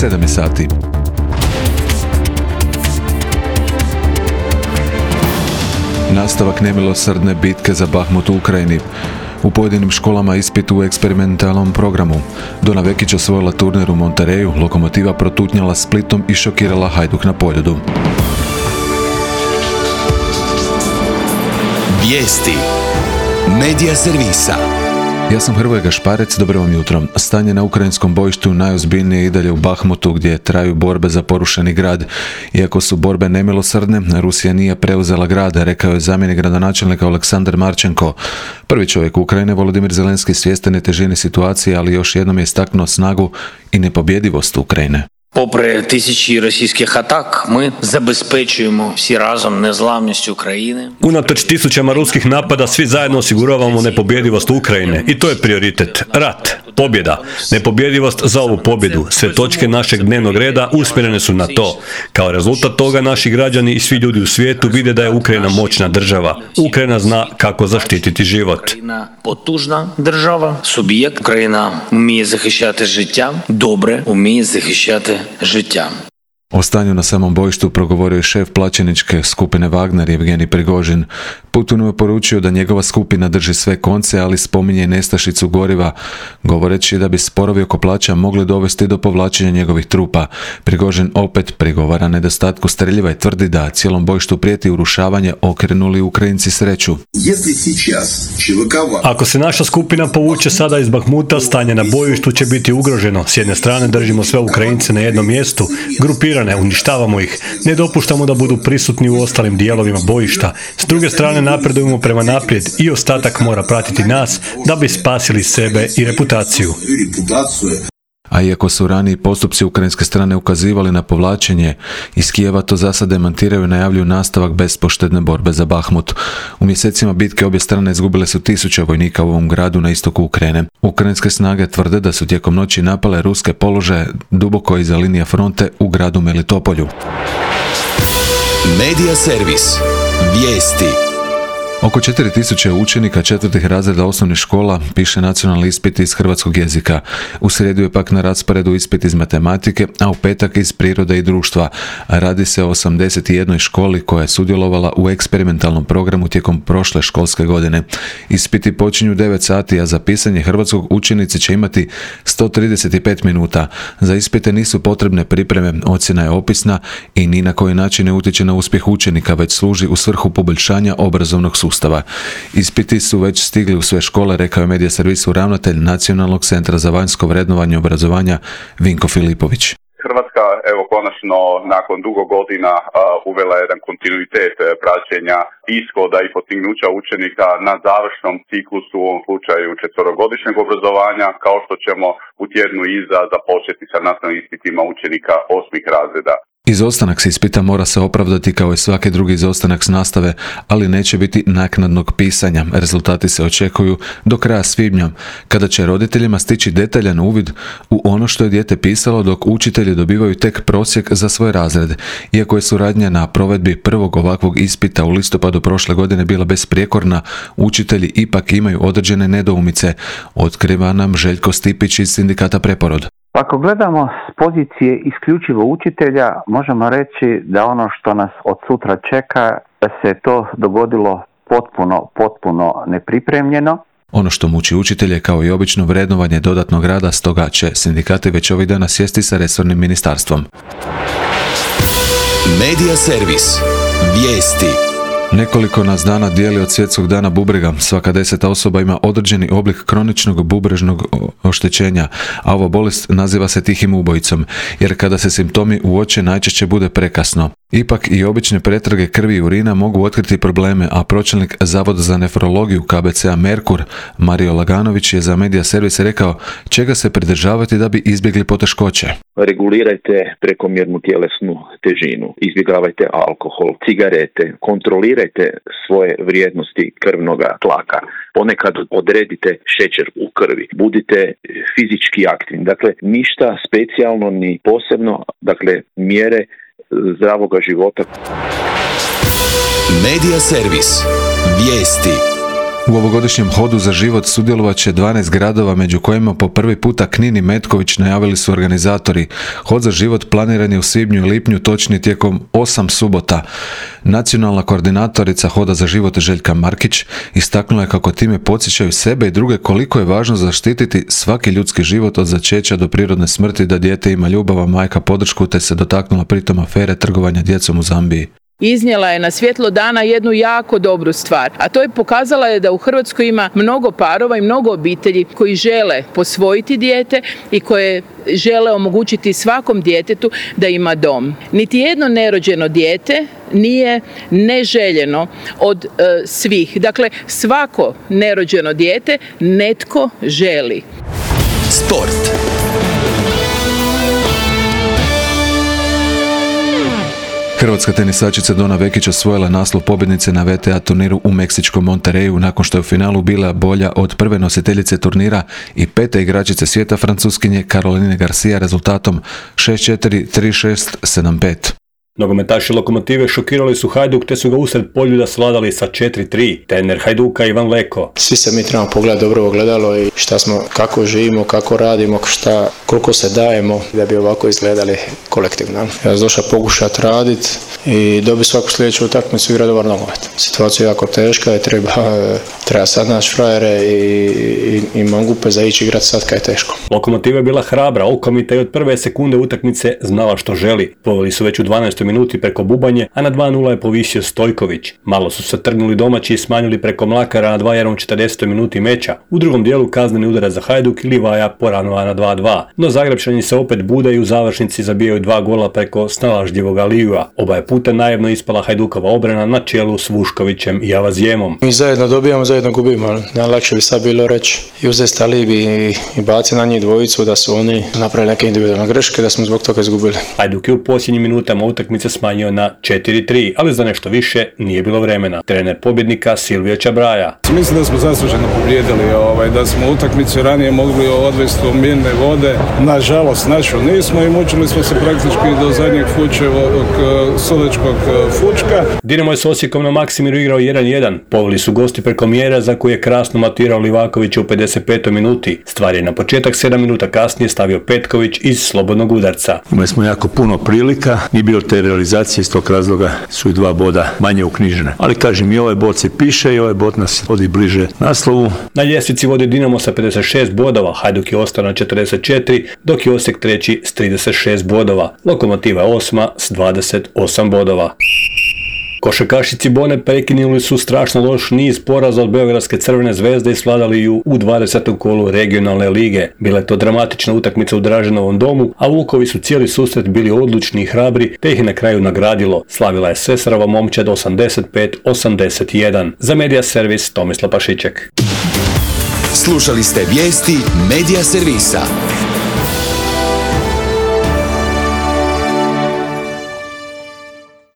7 sati. Nastavak nemilosrdne bitke za Bahmut u Ukrajini. U pojedinim školama ispit u eksperimentalnom programu. Dona Vekić osvojila turnir u Montereju, Lokomotiva protutnjala Splitom i šokirala Hajduk na Poljudu. Vijesti Medija servisa. Ja sam Hrvoje Gašparec, dobro vam jutro. Stanje na ukrajinskom bojištu najozbiljnije i dalje u Bahmutu, gdje traju borbe za porušeni grad. Iako su borbe nemilosrdne, Rusija nije preuzela grad, rekao je zamjenik gradonačelnika Aleksandar Marčenko. Prvi čovjek Ukrajine, Volodimir Zelenski, svjestan je težine situacije, ali još jednom je istaknuo snagu i nepobjedivost Ukrajine. Попри тисячі російських атак, ми забезпечуємо всі разом незламність України. Unatoč tisućama ruskih napada, svi zajedno osiguravamo nepobjedivost Ukrajine i to je prioritet. Rat, pobjeda, nepobjedivost za ovu pobjedu. Sve točke našeg dnevnog reda usmjerene su na to. Kao rezultat toga naši građani i svi ljudi u svijetu vide da je Ukrajina moćna država. Ukrajina zna kako zaštititi život. Україна потужна держава, суб'єкт. Україна вміє захищати життя, добре вміє захищати життя. O stanju na samom bojištu progovorio je šef plaćeničke skupine Wagner Evgenij Prigožin. Putinu je poručio da njegova skupina drži sve konce, ali spominje i nestašicu goriva, govoreći da bi sporovi oko plaća mogli dovesti do povlačenja njegovih trupa. Prigožin opet prigovara nedostatku streljiva i tvrdi da cijelom bojištu prijeti urušavanje, okrenuli Ukrajinci sreću. Ako se naša skupina povuče sada iz Bahmuta, stanje na bojištu će biti ugroženo. S jedne strane držimo sve Ukrajince na jednom mjestu, grupirane, uništavamo ih, ne dopuštamo da budu prisutni u ostalim dijelovima bojišta. S druge strane napredujemo prema naprijed i ostatak mora pratiti nas da bi spasili sebe i reputaciju. A iako su raniji postupci ukrajinske strane ukazivali na povlačenje, iz Kijeva to za sad demantiraju i najavljuju nastavak bespoštedne borbe za Bahmut. U mjesecima bitke obje strane izgubile su 1000 vojnika u ovom gradu na istoku Ukrajine. Ukrajinske snage tvrde da su tijekom noći napale ruske položaje duboko iza linija fronte u gradu Melitopolju. Medija servis. Vijesti. Oko 4000 učenika 4. razreda osnovnih škola piše nacionalni ispit iz hrvatskog jezika. U srijedu je pak na rasporedu ispit iz matematike, a u petak iz prirode i društva. Radi se o 81 školi koja je sudjelovala u eksperimentalnom programu tijekom prošle školske godine. Ispiti počinju 9 sati, a za pisanje hrvatskog učenici će imati 135 minuta. Za ispite nisu potrebne pripreme, ocjena je opisna i ni na koji način ne utječe na uspjeh učenika, već služi u svrhu poboljšanja obrazovnog sustava. Ispiti su već stigli u sve škole, rekao je medija servisu ravnatelj Nacionalnog centra za vanjsko vrednovanje obrazovanja Vinko Filipović. Hrvatska, evo, konačno nakon dugo godina uvela jedan kontinuitet praćenja ishoda i postignuća učenika na završnom ciklusu, u ovom slučaju 4-godišnjeg obrazovanja, kao što ćemo u tjednu iza započeti sa nastavnim ispitima učenika 8. razreda. Izostanak s ispita mora se opravdati kao i svaki drugi izostanak s nastave, ali neće biti naknadnog pisanja. Rezultati se očekuju do kraja svibnja, kada će roditeljima stići detaljan uvid u ono što je dijete pisalo, dok učitelji dobivaju tek prosjek za svoj razred. Iako je suradnja na provedbi prvog ovakvog ispita u listopadu prošle godine bila besprijekorna, učitelji ipak imaju određene nedoumice, otkriva nam Željko Stipić iz sindikata Preporod. Ako gledamo s pozicije isključivo učitelja, možemo reći da ono što nas od sutra čeka, da se to dogodilo potpuno nepripremljeno. Ono što muči učitelje, kao i obično, vrednovanje dodatnog rada, stoga će sindikati već ovih dana sjesti sa resornim ministarstvom. Medija servis. Vijesti. Nekoliko nas dana dijeli od svjetskog dana bubrega. Svaka 10. osoba ima određeni oblik kroničnog bubrežnog oštećenja, a ova bolest naziva se tihim ubojicom, jer kada se simptomi uoče najčešće bude prekasno. Ipak i obične pretrage krvi i urina mogu otkriti probleme, a pročelnik Zavoda za nefrologiju KBC-a Merkur, Mario Laganović, je za medija servis rekao čega se pridržavati da bi izbjegli poteškoće. Regulirajte prekomjernu tjelesnu težinu, izbjegavajte alkohol, cigarete, kontrolirajte svoje vrijednosti krvnoga tlaka. Ponekad odredite šećer u krvi, budite fizički aktivni. Dakle, ništa specijalno ni posebno, dakle, mjere zdravoga života. Medija servis. Vijesti. U ovogodišnjem hodu za život sudjelovat će 12 gradova, među kojima po prvi puta Knin i Metković, najavili su organizatori. Hod za život planiran je u svibnju i lipnju, točnije tijekom 8 subota. Nacionalna koordinatorica Hoda za život Željka Markić istaknula je kako time podsjećaju sebe i druge koliko je važno zaštititi svaki ljudski život od začeća do prirodne smrti, da dijete ima ljubav, a majka podršku, te se dotaknula pritom afere trgovanja djecom u Zambiji. Iznijela je na svjetlo dana jednu jako dobru stvar, a to je pokazala je da u Hrvatskoj ima mnogo parova i mnogo obitelji koji žele posvojiti dijete i koje žele omogućiti svakom djetetu da ima dom. Niti jedno nerođeno dijete nije neželjeno od svih. Dakle, svako nerođeno dijete netko želi. Sport. Hrvatska tenisačica Dona Vekić osvojila naslov pobjednice na WTA turniru u meksičkom Monterreyu nakon što je u finalu bila bolja od prve nositeljice turnira i pete igračice svijeta, Francuskinje Caroline Garcia, rezultatom 6-4, 3-6, 7-5. Nogometaši Lokomotive šokirali su Hajduk te su ga usred Poljuda svladali sa 4-3. Trener Hajduka Ivan Leko. Svi se mi trebamo pogledati dobro ogledalo i šta smo, kako živimo, kako radimo, koliko se dajemo da bi ovako izgledali kolektivno. Ja sam došao pokušati raditi i dobiti svaku sljedeću utakmicu i igrati dobar nogomet. Situacija je jako teška i treba sad naći frajere i mangupe za ići igrati sad kad je teško. Lokomotiva je bila hrabra, okomita i od prve sekunde utakmice znala što želi. Poveli su već u 12. minuti preko Bubanje, a na 2-0 je povisio Stojković. Malo su se trgnuli domaći i smanjili preko Mlakara na 2-1 u 40. minuti meča. U drugom dijelu kazneni udarac za Hajduk i Livaja poranova na 2-2. No Zagrebčani se opet bude i u završnici zabijaju 2 gola preko snalažljivog Alijua. Oba je puta naivno ispala Hajdukova obrana na čelu s Vuškovićem i Avazijemom. Mi zajedno dobijamo, zajedno gubimo. Najlakše bi sad bilo reći i uzeti Talibi i baci na njih dvojicu da su oni napravili neke individualne greške, da smo zbog toga izgubili. Hajduk je u posljednjim minutama utakmice smanjio na 4-3, ali za nešto više nije bilo vremena. Trener pobjednika Silvio Čabraja. Mislim da smo zasluženo pobijedili, da smo utakmicu ranije mogli odvesti u mirne vode. Nažalost, našu nismo i mučili smo se praktički do zadnjeg sudačkog fučka. Dinamo je s Osijekom na Maksimiru igrao 1-1. Poveli su gosti preko mjera za koje je krasno matirao Livaković u 55. minuti. Stvar je na početak 7 minuta kasnije stavio Petković iz slobodnog udarca. Imali smo jako puno prilika, nije bilo te realizacije, iz tog razloga su i 2 boda manje uknjižene. Ali kažem, i ovaj bod se piše i ovaj bod nas vodi bliže naslovu. Na ljestvici vodi Dinamo sa 56 bodova, Hajduk je ostao na 44, dok je Osijek treći s 36 bodova. Lokomotiva je 8. s 28 bodova. Košarkašici Bone prekinuli su strašno loš niz poraza od Beogradske Crvene zvezde i svladali ju u 20. kolu regionalne lige. Bila je to dramatična utakmica u Draženovom domu, a Vukovi su cijeli susret bili odlučni i hrabri, te ih na kraju nagradilo. Slavila je Sesarova momčad 85-81. Za Medija Servis Tomislav Pašiček. Slušali ste vijesti Medija Servisa.